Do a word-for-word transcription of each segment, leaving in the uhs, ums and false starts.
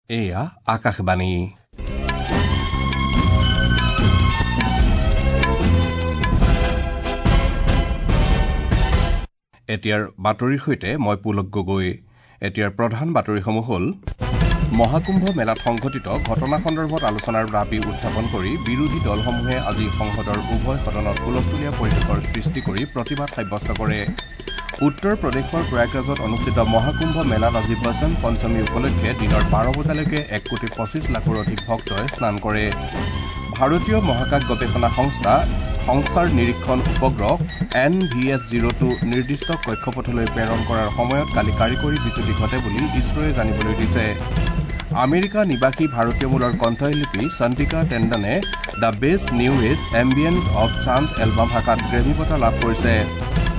এয়া আকাশবাণী। এতিয়াৰ বাতৰিৰ সৈতে মই পুলক গগৈ। এতিয়াৰ প্ৰধান বাতৰিসমূহ হ'ল: মহাকুম্ভ মেলাত সংঘটিত ঘটনা সন্দৰ্ভত আলোচনাৰ দাবী উত্থাপন কৰি বিৰোধী দলসমূহে আজি সংসদৰ উভয় সদনত হুলস্থুলীয়া পৰিৱেশৰ সৃষ্টি কৰি প্ৰতিবাদ সাব্যস্ত কৰে। উত্তৰ প্ৰদেশৰ প্ৰয়াগৰাজত অনুষ্ঠিত মহাকুম্ভ মেলাত আজি বসন্ত পঞ্চমী উপলক্ষে দিনৰ বাৰ বজালৈকে এক কোটি পঁচিছ লাখৰো অধিক ভক্তই স্নান কৰে। ভাৰতীয় মহাকাশ গৱেষণা সংস্থা সংস্থাৰ নিৰীক্ষণ উপগ্ৰহ N V S zero two নিৰ্দিষ্ট কক্ষপথলৈ প্ৰেৰণ কৰাৰ সময়ত কালি কাৰিকৰী বিজুতি ঘটে বুলি ইছৰোৱে জানিবলৈ দিছে। আমেৰিকা নিবাসী ভাৰতীয় মূলৰ কণ্ঠশিল্পী চন্দ্ৰিকা টেণ্ডনে the best new age ambient of chant album শাখাত গ্ৰেমী বঁটা লাভ কৰিছে।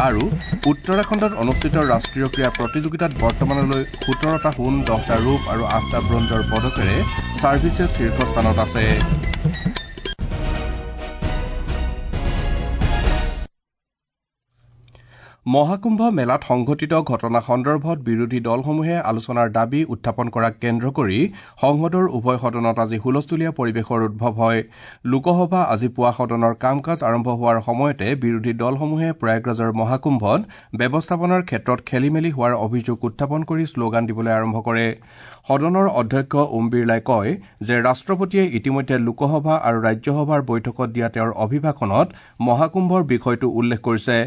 আৰু উত্তৰাখণ্ডত অনুষ্ঠিত ৰাষ্ট্ৰীয় ক্ৰীড়া প্ৰতিযোগিতাত বৰ্তমানলৈ সোতৰটা সোণ, দহটা ৰূপ আৰু আঠটা ব্ৰঞ্জৰ পদকেৰে ছাৰ্ভিচেছ শীৰ্ষস্থানত আছে। মহাকুম্ভ মেলাত সংঘটিত ঘটনা সন্দৰ্ভত বিৰোধী দলসমূহে আলোচনাৰ দাবী উত্থাপন কৰাক কেন্দ্ৰ কৰি সংসদৰ উভয় সদনত আজি হুলস্থুলীয়া পৰিৱেশৰ উদ্ভৱ হয়। লোকসভা আজি পুৱা সদনৰ কাম কাজ আৰম্ভ হোৱাৰ সময়তে বিৰোধী দলসমূহে প্ৰয়াগৰাজৰ মহাকুম্ভত ব্যৱস্থাপনাৰ ক্ষেত্ৰত খেলিমেলি হোৱাৰ অভিযোগ উত্থাপন কৰি শ্লোগান দিবলৈ আৰম্ভ কৰে। সদনৰ অধ্যক্ষ ওম বিৰলাই কয় যে ৰাষ্ট্ৰপতিয়ে ইতিমধ্যে লোকসভা আৰু ৰাজ্যসভাৰ বৈঠকত দিয়া তেওঁৰ অভিভাষণত মহাকুম্ভৰ বিষয়টো উল্লেখ কৰিছে।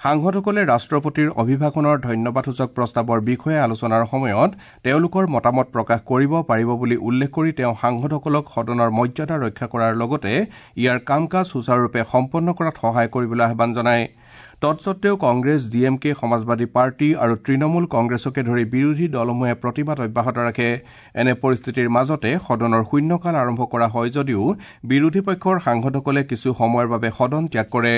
সাংসদসকলে ৰাষ্ট্ৰপতিৰ অভিভাষণৰ ধন্যবাদসূচক প্ৰস্তাৱৰ বিষয়ে আলোচনাৰ সময়ত তেওঁলোকৰ মতামত প্ৰকাশ কৰিব পাৰিব বুলি উল্লেখ কৰি তেওঁ সাংসদসকলক সদনৰ মৰ্যাদা ৰক্ষা কৰাৰ লগতে ইয়াৰ কাম কাজ সুচাৰুৰূপে সম্পন্ন কৰাত সহায় কৰিবলৈ আহ্বান জনায়। তৎসত্বেও Congress, D M K, Samajwadi party আৰু তৃণমূল কংগ্ৰেছকে ধৰি বিৰোধী দলসমূহে প্ৰতিবাদ অব্যাহত ৰাখে। এনে পৰিস্থিতিৰ মাজতে সদনৰ শূন্যকাল আৰম্ভ কৰা হয় যদিও বিৰোধী পক্ষৰ সাংসদসকলে কিছু সময়ৰ বাবে সদন ত্যাগ কৰে।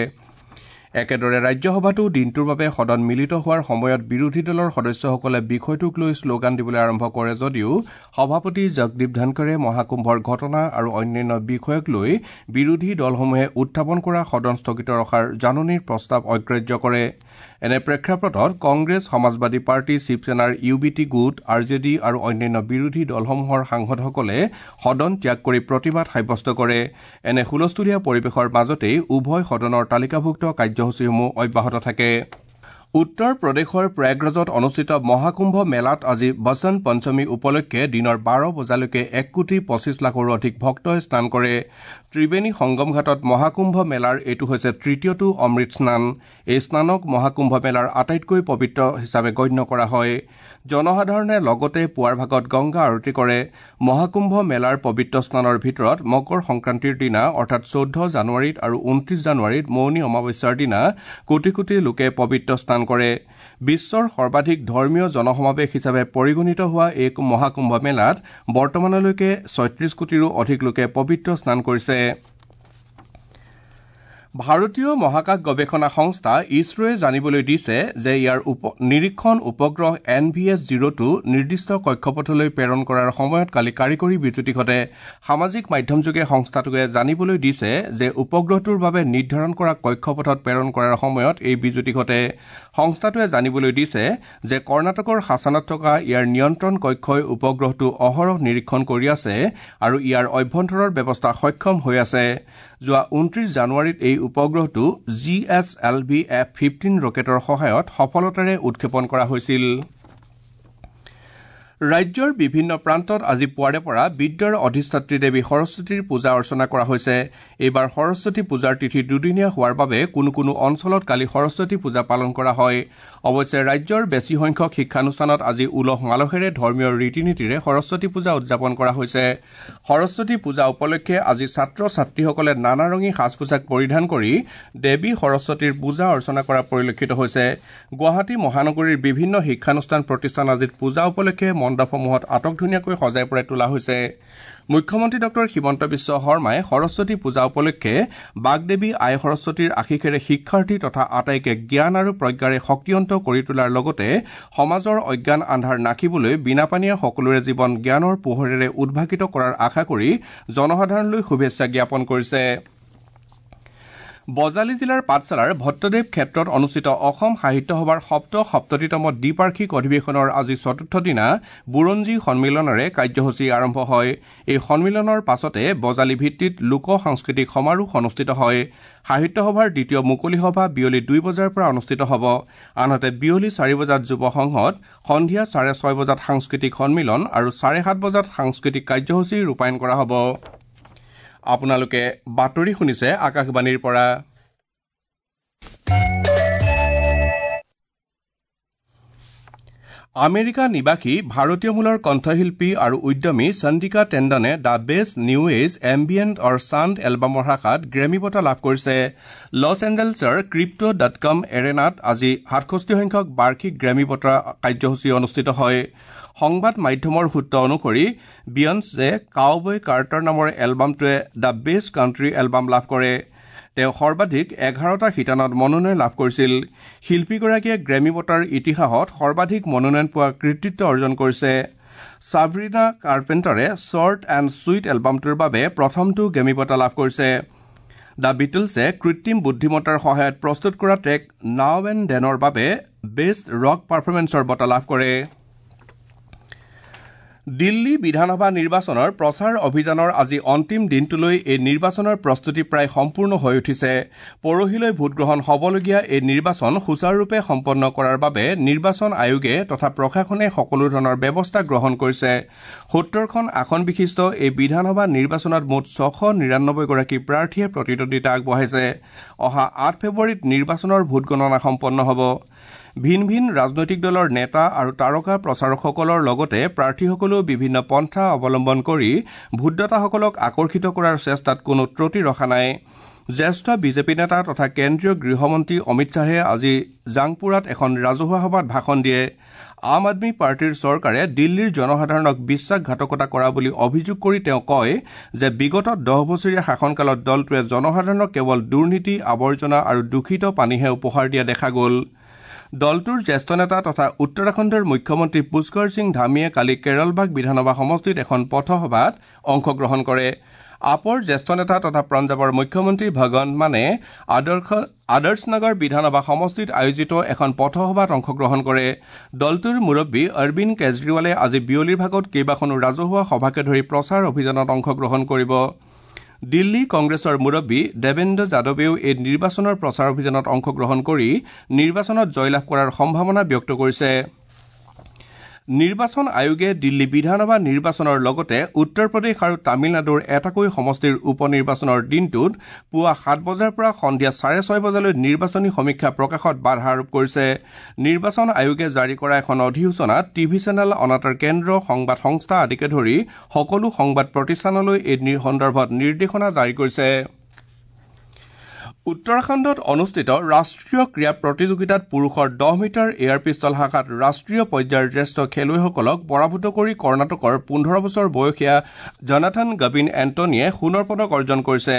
একেদৰে ৰাজ্যসভাতো দিনটোৰ বাবে সদন মিলিত হোৱাৰ সময়ত বিৰোধী দলৰ সদস্যসকলে বিষয়টোক লৈ শ্লোগান দিবলৈ আৰম্ভ কৰে যদিও সভাপতি জগদীপ ধনখৰে মহাকুম্ভৰ ঘটনা আৰু অন্যান্য বিষয়ক লৈ বিৰোধী দলসমূহে উত্থাপন কৰা সদন স্থগিত ৰখাৰ জাননীৰ প্ৰস্তাৱ অগ্ৰাহ্য কৰে। এনে প্ৰেক্ষাপটত কংগ্ৰেছ, সমাজবাদী পাৰ্টি, শিৱসেনাৰ ইউ বি টি গোট, আৰ জে ডি আৰু অন্যান্য বিৰোধী দলসমূহৰ সাংসদসকলে সদন ত্যাগ কৰি প্ৰতিবাদ সাব্যস্ত কৰে। এনে হুলস্থুলীয়া পৰিৱেশৰ মাজতেই উভয় সদনৰ তালিকাভুক্ত কাৰ্যসূচীসমূহ অব্যাহত থাকে। উত্তৰ প্ৰদেশৰ প্ৰয়াগৰাজত অনুষ্ঠিত মহাকুম্ভ মেলাত আজি বসন্ত পঞ্চমী উপলক্ষে দিনৰ বাৰ বজালৈকে এক কোটি পঁচিছ লাখৰো অধিক ভক্তই স্নান কৰে। ত্ৰিবেণী সংগম ঘাটত মহাকুম্ভ মেলাৰ এইটো হৈছে তৃতীয়টো অমৃত স্নান। এই স্নানক মহাকুম্ভ মেলাৰ আটাইতকৈ পবিত্ৰ হিচাপে গণ্য কৰা হয়। জনসাধাৰণে লগতে পুৱাৰ ভাগত গংগা আৰতি কৰে। মহাকুম্ভ মেলাৰ পবিত্ৰ স্নানৰ ভিতৰত মকৰ সংক্ৰান্তিৰ দিনা অৰ্থাৎ চৈধ্য জানুৱাৰীত আৰু ঊনত্ৰিশ জানুৱাৰীত মৌনী অমাৱস্যাৰ দিনা কোটি কোটি লোকে পবিত্ৰ স্নান কৰে। বিশ্বৰ সৰ্বাধিক ধৰ্মীয় জনসমাৱেশ হিচাপে পৰিগণিত হোৱা এই মহাকুম্ভ মেলাত বৰ্তমানলৈকে ছয়ত্ৰিশ কোটিৰো অধিক লোকে পবিত্ৰ স্নান কৰিছে। ভাৰতীয় মহাকাশ গৱেষণা সংস্থা ইছৰোৱে জানিবলৈ দিছে যে ইয়াৰ নিৰীক্ষণ উপগ্ৰহ N V S zero two নিৰ্দিষ্ট কক্ষপথলৈ প্ৰেৰণ কৰাৰ সময়ত কালি কাৰিকৰী বিজুতি ঘটে। সামাজিক মাধ্যমযোগে সংস্থাটোৱে জানিবলৈ দিছে যে উপগ্ৰহটোৰ বাবে নিৰ্ধাৰণ কৰা কক্ষপথত প্ৰেৰণ কৰাৰ সময়ত এই বিজুতি ঘটে। সংস্থাটোৱে জানিবলৈ দিছে যে কৰ্ণাটকৰ হাছানত থকা ইয়াৰ নিয়ন্ত্ৰণ কক্ষই উপগ্ৰহটো অহৰহ নিৰীক্ষণ কৰি আছে আৰু ইয়াৰ অভ্যন্তৰৰ ব্যৱস্থা সক্ষম হৈ আছে। যোৱা ঊনত্ৰিশ জানুৱাৰীত এই উপগ্ৰহটো G S L V F fifteen ৰকেটৰ সহায়ত সফলতাৰে উৎক্ষেপণ কৰা হৈছিল। ৰাজ্যৰ বিভিন্ন প্ৰান্তত আজি পুৱাৰে পৰা বিদ্যাৰ অধিষ্ঠাত্ৰী দেৱী সৰস্বতীৰ পূজা অৰ্চনা কৰা হৈছে। এইবাৰ সৰস্বতী পূজাৰ তিথি দুদিনীয়া হোৱাৰ বাবে কোনো কোনো অঞ্চলত কালি সৰস্বতী পূজা পালন কৰা হয়। অৱশ্যে ৰাজ্যৰ বেছি সংখ্যক শিক্ষানুষ্ঠানত আজি উলহ মালহেৰে ধৰ্মীয় ৰীতি নীতিৰে সৰস্বতী পূজা উদযাপন কৰা হৈছে। সৰস্বতী পূজা উপলক্ষে আজি ছাত্ৰ ছাত্ৰীসকলে নানা ৰঙী সাজ পোছাক পৰিধান কৰি দেৱী সৰস্বতীৰ পূজা অৰ্চনা কৰা পৰিলক্ষিত হৈছে। গুৱাহাটী মহানগৰীৰ বিভিন্ন শিক্ষানুষ্ঠান প্ৰতিষ্ঠান আজিত পূজা উপলক্ষে মণ্ডপসমূহত আটকধুনীয়াকৈ সজাই পৰাই তোলা হৈছে। মুখ্যমন্ত্ৰী ডক্টৰ হিমন্ত বিশ্ব শৰ্মাই সৰস্বতী পূজা উপলক্ষে বাগদেৱী আই সৰস্বতীৰ আশীষেৰে শিক্ষাৰ্থী তথা আটাইকে জ্ঞান আৰু প্ৰজ্ঞাৰে শক্তিয়ন্ত কৰি তোলাৰ লগতে সমাজৰ অজ্ঞান আন্ধাৰ নাশিবলৈ বিনাপানীয়ে সকলোৰে জীৱন জ্ঞানৰ পোহৰেৰে উদ্ভাসিত কৰাৰ আশা কৰি জনসাধাৰণলৈ শুভেচ্ছা জ্ঞাপন কৰিছে। বজালী জিলাৰ পাঠশালাৰ ভট্টদেৱ ক্ষেত্ৰত অনুষ্ঠিত অসম সাহিত্য সভাৰ সপ্ত সপ্ততিতম দ্বিবাৰ্ষিক অধিৱেশনৰ আজি চতুৰ্থ দিনা বুৰঞ্জী সন্মিলনেৰে কাৰ্যসূচী আৰম্ভ হয়। এই সন্মিলনৰ পাছতে বজালী ভিত্তিত লোক সাংস্কৃতিক সমাৰোহ অনুষ্ঠিত হয়। সাহিত্য সভাৰ দ্বিতীয় মুকলি সভা বিয়লি দুই বজাৰ পৰা অনুষ্ঠিত হ'ব। আনহাতে বিয়লি চাৰি বজাত যুৱ সংসদ, সন্ধিয়া চাৰে ছয় বজাত সাংস্কৃতিক সন্মিলন আৰু চাৰে সাত বজাত সাংস্কৃতিক কাৰ্যসূচী ৰূপায়ণ কৰা হ'ব। আপোনালোকে বাতৰি শুনিছে আকাশবাণীৰ পৰা। আমেৰিকা নিবাসী ভাৰতীয় মূলৰ কণ্ঠশিল্পী আৰু উদ্যমী চন্দিকা টেণ্ডনে the best new age ambient or sound এলবামৰ শাখাত গ্ৰেমী বঁটা লাভ কৰিছে। লছ এঞ্জেলছৰ ক্ৰিপ্টো ডট কম এৰেনাত আজি সাতষষ্ঠি সংখ্যক বাৰ্ষিক গ্ৰেমী বঁটা কাৰ্যসূচী অনুষ্ঠিত হয়। সংবাদ মাধ্যমৰ সূত্ৰ অনুসৰি বিয়ন্সে কাউবয় কাৰ্টাৰ নামৰ এলবামটোৱে the best country album লাভ কৰে। তেওঁ সৰ্বাধিক এঘাৰটা শিতানত মনোনয়ন লাভ কৰিছিল। শিল্পীগৰাকীয়ে গ্ৰেমী বঁটাৰ ইতিহাসত সৰ্বাধিক মনোনয়ন পোৱাৰ কৃতিত্ব অৰ্জন কৰিছে। ছাব্ৰিনা কাৰ্পেণ্টাৰে শ্বৰ্ট এণ্ড ছুইট এলবামটোৰ বাবে প্ৰথমটো গ্ৰেমী বঁটা লাভ কৰিছে। The বিটলছে কৃত্ৰিম বুদ্ধিমত্তাৰ সহায়ত প্ৰস্তুত কৰা ট্ৰেক নাও এণ্ড ডেনৰ বাবে বেষ্ট ৰক পাৰফৰ্মেন্সৰ বঁটা লাভ কৰে। দিল্লী বিধানসভা নিৰ্বাচনৰ প্ৰচাৰ অভিযানৰ আজি অন্তিম দিনটোলৈ এই নিৰ্বাচনৰ প্ৰস্তুতি প্ৰায় সম্পূৰ্ণ হৈ উঠিছে। পৰহিলৈ ভোটগ্ৰহণ হ'বলগীয়া এই নিৰ্বাচন সুচাৰুৰূপে সম্পন্ন কৰাৰ বাবে নিৰ্বাচন আয়োগে তথা প্ৰশাসনে সকলো ধৰণৰ ব্যৱস্থা গ্ৰহণ কৰিছে। সত্তৰখন আসন বিশিষ্ট এই বিধানসভা নিৰ্বাচনত মুঠ ছশ নিৰানব্বৈগৰাকী প্ৰাৰ্থীয়ে প্ৰতিদ্বন্দ্বিতা আগবঢ়াইছে। অহা আঠ ফেব্ৰুৱাৰীত নিৰ্বাচনৰ ভোটগণনা সম্পন্ন হ'ব। ভিন ভিন ৰাজনৈতিক দলৰ নেতা আৰু তাৰকা প্ৰচাৰকসকলৰ লগতে প্ৰাৰ্থীসকলেও বিভিন্ন পন্থা অৱলম্বন কৰি ভোটদাতাসকলক আকৰ্ষিত কৰাৰ চেষ্টাত কোনো ত্ৰুটি ৰখা নাই। জ্যেষ্ঠ বিজেপি নেতা তথা কেন্দ্ৰীয় গৃহমন্ত্ৰী অমিত শ্বাহে আজি জাংপুৰাত এখন ৰাজহুৱা সভাত ভাষণ দিয়ে। আম আদমী পাৰ্টীৰ চৰকাৰে দিল্লীৰ জনসাধাৰণক বিশ্বাসঘাতকতা কৰা বুলি অভিযোগ কৰি তেওঁ কয় যে বিগত দহ বছৰীয়া শাসনকালত দলটোৱে জনসাধাৰণক কেৱল দুৰ্নীতি, আৱৰ্জনা আৰু দূষিত পানীহে উপহাৰ দিয়া দেখা গ'ল। দলটোৰ জ্যেষ্ঠ নেতা তথা উত্তৰাখণ্ডৰ মুখ্যমন্ত্ৰী পুষ্কৰ সিং ধামীয়ে কালি কেৰলবাগ বিধানসভা সমষ্টিত এখন পথসভাত অংশগ্ৰহণ কৰে। আপৰ জ্যেষ্ঠ নেতা তথা পঞ্জাৱৰ মুখ্যমন্ত্ৰী ভগৱন্ত মানে আদৰ্শ আদৰ্শনগৰ বিধানসভা সমষ্টিত আয়োজিত এখন পথসভাত অংশগ্ৰহণ কৰে। দলটোৰ মুৰব্বী অৰবিন্দ কেজৰিৱালে আজি বিয়লিৰ ভাগত কেইবাখনো ৰাজহুৱা সভাকে ধৰি প্ৰচাৰ অভিযানত অংশগ্ৰহণ কৰিব। দিল্লী কংগ্ৰেছৰ মুৰব্বী দেৱেন্দ্ৰ যাদৱেও এই নিৰ্বাচনৰ প্ৰচাৰ অভিযানত অংশগ্ৰহণ কৰি নিৰ্বাচনত জয়লাভ কৰাৰ সম্ভাৱনা ব্যক্ত কৰিছে। নিৰ্বাচন আয়োগে দিল্লী বিধানসভা নিৰ্বাচনৰ লগতে উত্তৰ প্ৰদেশ আৰু তামিলনাডুৰ এটাকৈ সমষ্টিৰ উপ নিৰ্বাচনৰ দিনটোত পুৱা সাত বজাৰ পৰা সন্ধিয়া চাৰে ছয় বজালৈ নিৰ্বাচনী সমীক্ষা প্ৰকাশত বাধা আৰোপ কৰিছে। নিৰ্বাচন আয়োগে জাৰি কৰা এখন অধিসূচনাত টিভি চেনেল, অনাতাঁৰ কেন্দ্ৰ, সংবাদ সংস্থা আদিকে ধৰি সকলো সংবাদ প্ৰতিষ্ঠানলৈ এই সন্দৰ্ভত নিৰ্দেশনা জাৰি কৰিছে। উত্তৰাখণ্ডত অনুষ্ঠিত ৰাষ্ট্ৰীয় ক্ৰীড়া প্ৰতিযোগিতাত পুৰুষৰ দহ মিটাৰ এয়াৰ পিষ্টল শাখাত ৰাষ্ট্ৰীয় পৰ্যায়ৰ জ্যেষ্ঠ খেলুৱৈসকলক পৰাভূত কৰি কৰ্ণাটকৰ পোন্ধৰ বছৰ বয়সীয়া জনাথন গবিন এণ্টনীয়ে সোণৰ পদক অৰ্জন কৰিছে।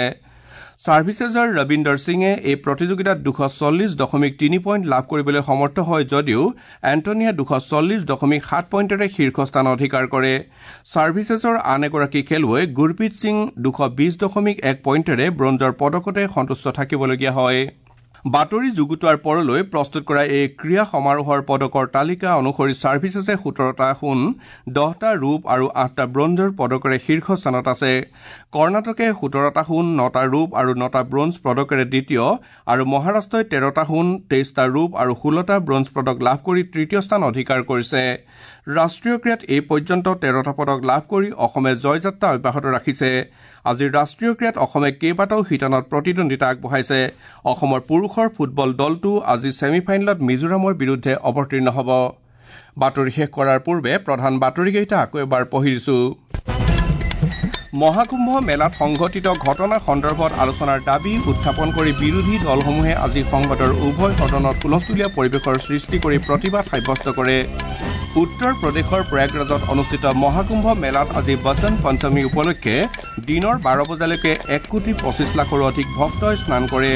ছাৰ্ভিচেছৰ ৰবীন্দৰ সিঙে এই প্ৰতিযোগিতাত দুশ চল্লিছ দশমিক তিনি পইণ্ট লাভ কৰিবলৈ সমৰ্থ হয় যদিও এণ্টনীয়ে দুশ চল্লিছ দশমিক সাত পইণ্টেৰে শীৰ্ষস্থান অধিকাৰ কৰে। ছাৰ্ভিচেছৰ আন এগৰাকী খেলুৱৈ গুৰপ্ৰীত সিং দুশ বিছ দশমিক এক পইণ্টেৰে ব্ৰঞ্জৰ পদকতে সন্তুষ্ট থাকিবলগীয়া হয়। বাতৰি যুগুতোৱাৰ পৰলৈ প্ৰস্তুত কৰা এই ক্ৰীড়া সমাৰোহৰ পদকৰ তালিকা অনুসৰি ছাৰ্ভিচেছে সোতৰটা সোণ, দহটা ৰূপ আৰু আঠটা ব্ৰঞ্জৰ পদকেৰে শীৰ্ষস্থানত আছে। কৰ্ণাটকে সোতৰটা সোণ, নটা ৰূপ আৰু নটা ব্ৰঞ্জ পদকেৰে দ্বিতীয় আৰু মহাৰাষ্ট্ৰই তেৰটা সোণ, তেইছটা ৰূপ আৰু ষোল্লটা ব্ৰঞ্জ পদক লাভ কৰি তৃতীয় স্থান অধিকাৰ কৰিছে। ৰাষ্ট্ৰীয় ক্ৰীড়াত এই পৰ্যন্ত তেৰটা পদক লাভ কৰি অসমে জয়যাত্ৰা অব্যাহত ৰাখিছে। আজিৰ ৰাষ্ট্ৰীয় ক্ৰীড়াত অসমে কেইবাটাও শিতানত প্ৰতিদ্বন্দ্বিতা আগবঢ়াইছে। অসমৰ পুৰুষৰ ফুটবল দলটো আজি ছেমি ফাইনেলত মিজোৰামৰ বিৰুদ্ধে অৱতীৰ্ণ হ'ব। বাতৰি শেষ কৰাৰ পূৰ্বে প্ৰধান বাতৰিকেইটা আকৌ এবাৰ পঢ়ি দিছো। মহাকুম্ভ মেলাত সংঘটিত ঘটনা সন্দৰ্ভত আলোচনাৰ দাবী উত্থাপন কৰি বিৰোধী দলসমূহে আজি সংসদৰ উভয় সদনত হুলস্থুলীয়া পৰিৱেশৰ সৃষ্টি কৰি প্ৰতিবাদ সাব্যস্ত কৰে। উত্তৰ প্ৰদেশৰ প্ৰয়াগৰাজত অনুষ্ঠিত মহাকুম্ভ মেলাত আজি বসন্ত পঞ্চমী উপলক্ষে দিনৰ বাৰ বজালৈকে এক কোটি পঁচিছ লাখৰো অধিক ভক্তই স্নান কৰে।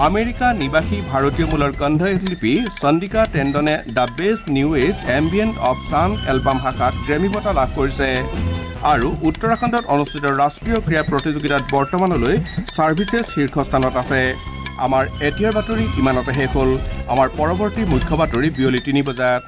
আমেৰিকা নিবাসী ভাৰতীয় মূলৰ কণ্ঠশিল্পী চন্দিকা টেণ্ডনে the best new age ambient of sound album শাখাত গ্ৰেমী বঁটা লাভ কৰিছে। আৰু উত্তৰাখণ্ডত অনুষ্ঠিত ৰাষ্ট্ৰীয় ক্ৰীড়া প্ৰতিযোগিতাত বৰ্তমানলৈ ছাৰ্ভিচেছ শীৰ্ষস্থানত আছে। আমাৰ এতিয়াৰ বাতৰি ইমানতে শেষ হ'ল। আমাৰ পৰৱৰ্তী মুখ্য বাতৰি বিয়লি তিনি বজাত।